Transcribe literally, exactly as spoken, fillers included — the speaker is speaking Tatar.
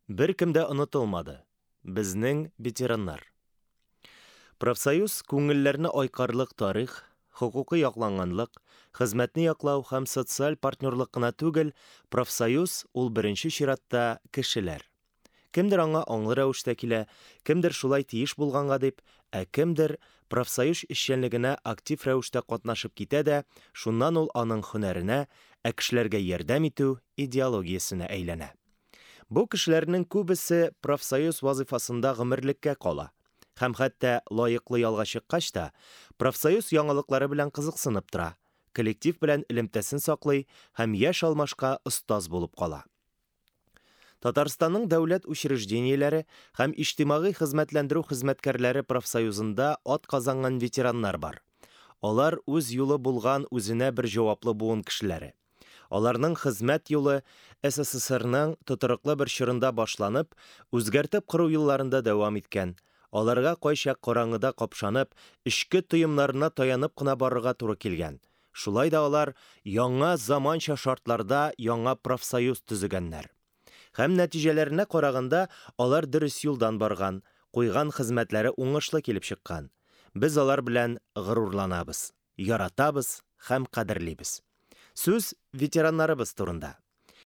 Беркем дә онытылмады. Безнең ветераннар. Профсоюз күңелләрне айкарлык тарих, хокукый якланганлык, хезмәтне яклау һәм социаль партнерлык кына түгел, профсоюз ул беренче чиратта кешеләр. Кемдер аңа аңлы рәвештә килә, кемдер шулай тиеш булганга дип, ә кемдер профсоюз эшчәнлегенә актив рәвештә катнашып китә дә, шуннан ул аның һөнәренә, ә кешеләргә ярдәм итү идеологиясенә әйләнә. Бу кешеләрнең күбесе профсоюз вазифасында гомерлеккә кала. Һәм хәтта лаеклы ялга чыккач та, профсоюз яңалыклары белән кызыксынып тора, коллектив белән элемтәсен саклый һәм яшь алмашка остаз булып кала. Татарстанның дәүләт учреждениеләре һәм иҗтимагый хезмәтләндерү хезмәткәрләре профсоюзында ат казанган ветераннар бар. Алар үз юлы булган үзенә бер җаваплы буын кешеләре. Аларның хезмәт юлы СССРның тотрыклы бер чорында башланып, үзгәртеп кору елларында дәвам иткән. Аларга кайчак караңгыда капшанып, эчке тоемнарына таянып кына барырга туры килгән. Шулай да алар яңа заманча шартларда яңа профсоюз төзегәннәр. Һәм нәтиҗәләренә караганда, алар дөрес юлдан барган, куйган хезмәтләре уңышлы килеп чыккан. Без алар белән горурланабыз, яратабыз һәм кадерлибез. Сүз ветераннарыбыз турында.